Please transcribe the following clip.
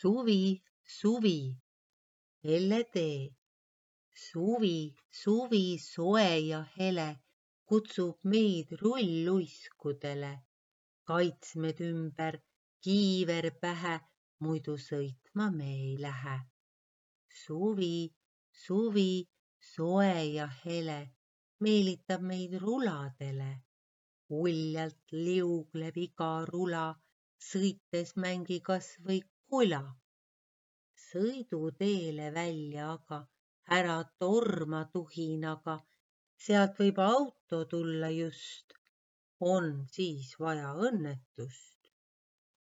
Suvi, suvi, helle tee. Suvi, suvi, soe ja hele kutsub meid rulluiskudele. Kaitsmed ümber, kiiver pähe, muidu sõitma me ei lähe. Suvi, suvi, soe ja hele meelitab meid ruladele. Uljalt liugleb iga rula, sõites mängi kas või kula. Sõiduteele välja aga ära torma tuhinaga, sealt võib auto tulla just, on siis vaja õnnetust.